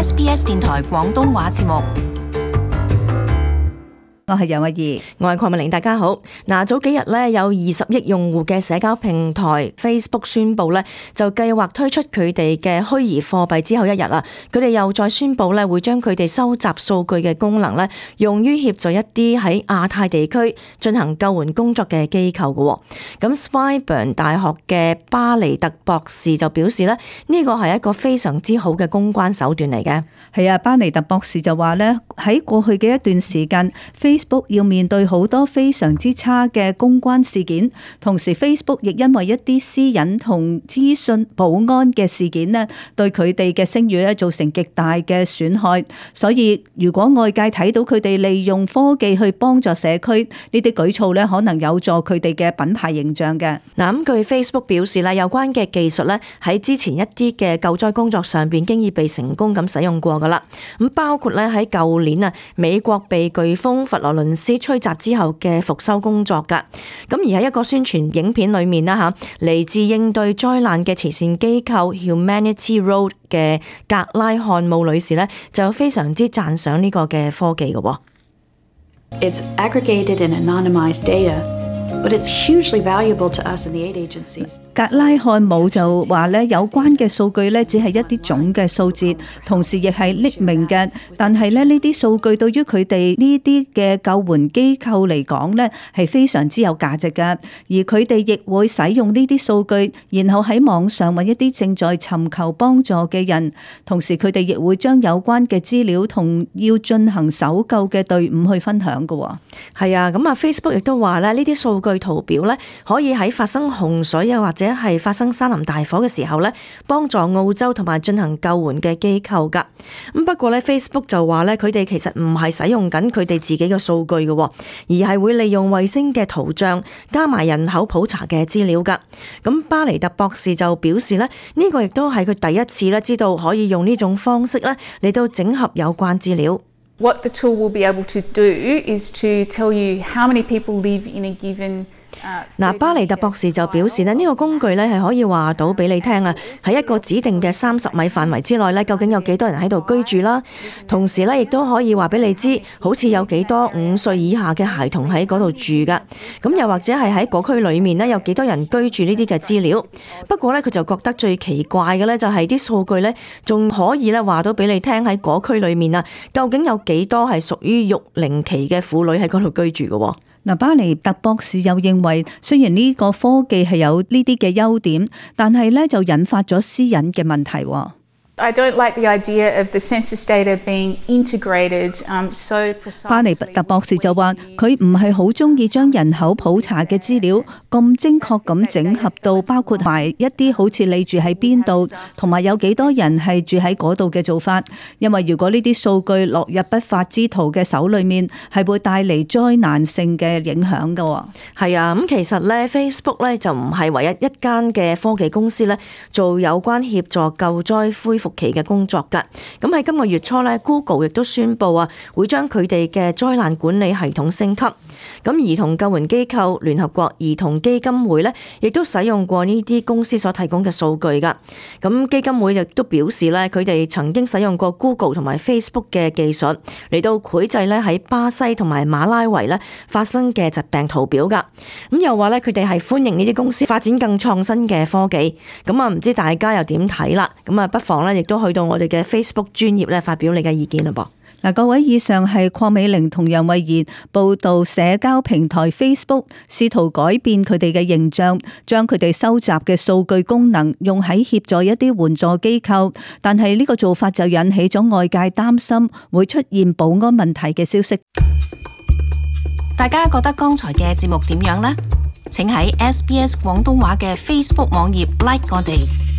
SBS 電台廣東話節目。我係楊慧儀，我係鄺美玲，大家好。早幾日咧有20億用戶嘅社交平台 Facebook 宣布咧，就計劃推出佢哋嘅虛擬貨幣之後一日啦，佢哋又再宣布咧會將佢哋收集數據嘅功能咧用於協助一啲喺亞太地區進行救援工作嘅機構嘅。咁 Swinburne 大學嘅巴尼特博士就表示咧，呢個係一個非常之好嘅公關手段嚟嘅。係啊，巴尼特博士就話咧，喺過去嘅一段時間Facebook 要面對好多非常之差嘅公關事件，同時 Facebook 亦因為一啲私隱同資訊保安嘅事件咧，對佢哋嘅聲譽咧造成極大嘅損害。所以如果外界睇到佢哋利用科技去幫助社區，呢啲舉措咧可能有助佢哋嘅品牌形象嘅。咁據 Facebook 表示咧，有關嘅技術咧喺之前一啲嘅救災工作上邊經已被成功咁使用過噶啦。咁包括咧喺舊年啊，美國被颶風佛羅倫斯吹襲之後嘅復修工作噶。咁而喺一個宣傳影片裏面啦吓，嚟自應對災難嘅慈善機構 Humanity Road 嘅格拉漢姆女士咧，就非常之讚賞呢個嘅科技嘅。It's aggregated and anonymized data.But it's hugely valuable to us in the aid agencies. 格拉漢姆就話咧，有關嘅數據咧只係一啲總嘅數字，同時亦係匿名嘅。但係咧呢啲數據對於佢哋呢啲嘅救援機構嚟講咧係非常之有價值嘅，而佢哋亦會使用呢啲數據，然後喺網上揾一啲正在尋求幫助嘅人，同時佢哋亦會將有關嘅資料同要進行搜救嘅隊伍去分享嘅。係啊，咁啊 Facebook 亦都話咧，呢啲數據圖表咧可以喺發生洪水又或者係發生山林大火嘅時候咧，幫助澳洲同埋進行救援嘅機構噶。咁不過咧 Facebook 就話咧，佢哋其實唔係使用緊佢哋自己嘅數據嘅，而係會利用衛星嘅圖像加埋人口普查嘅資料噶。咁巴尼特博士就表示咧，呢個亦都係佢第一次咧知道可以用呢種方式咧嚟到整合有關資料。What the tool will be able to do is to tell you how many people live in a given巴尼特博士就表示呢個工具咧係可以話到俾你聽啊，喺一個指定嘅30米範圍之內咧，究竟有幾多人喺度居住啦。同時咧，亦都可以話俾你知，好似有幾多5歲以下嘅孩童喺嗰度住噶。咁又或者係喺嗰區裏面咧，有幾多人居住呢啲嘅資料。不過咧，佢就覺得最奇怪嘅咧，就係啲數據咧，仲可以咧話到俾你聽喺嗰區裏面啊，究竟有幾多係屬於育齡期嘅婦女喺嗰度居住嘅。巴尼特博士又認為，雖然呢個科技係有呢啲嘅優點，但係咧就引發咗私隱嘅問題。I don't like the idea of the census data being integrated so precisely. 巴尼特博士就話，佢唔係好中意將人口普查嘅資料咁精確咁整合到包括埋一啲好似你住喺邊度，同埋有幾多人係住喺嗰度嘅做法。因為如果呢啲數據落入不法之徒嘅手裏面，係會帶嚟災難性嘅影響㗎。係啊，咁其實咧 Facebook 咧就唔係唯一一間嘅科技公司咧做有關協助救災恢復期嘅工作㗎。咁喺今個月初咧 Google 亦都宣布啊，會將佢哋嘅災難管理系統升級。咁兒童救援機構聯合國兒童基金會咧，亦都使用過呢啲公司所提供嘅數據㗎。咁基金會亦都表示咧，佢哋曾經使用過 Google 同埋 Facebook 嘅技術嚟到繪製咧喺巴西同埋馬拉維咧發生嘅疾病圖表㗎。咁又話咧，佢哋係歡迎呢啲公司發展更創新嘅科技。咁啊，唔知大家又點睇啦？咁啊，不妨咧亦都去到我哋嘅 Facebook 專頁咧發表你嘅意見啦噃。各位，以上係鄺美玲同楊慧儀報道社交平台 Facebook 試圖改變佢哋嘅形象，將佢哋收集嘅數據功能用喺協助一啲援助機構，但係呢個做法就引起咗外界擔心會出現保安問題嘅消息。大家覺得剛才嘅節目點樣呢？請喺SBS 廣東話嘅 Facebook 網頁 like 我哋。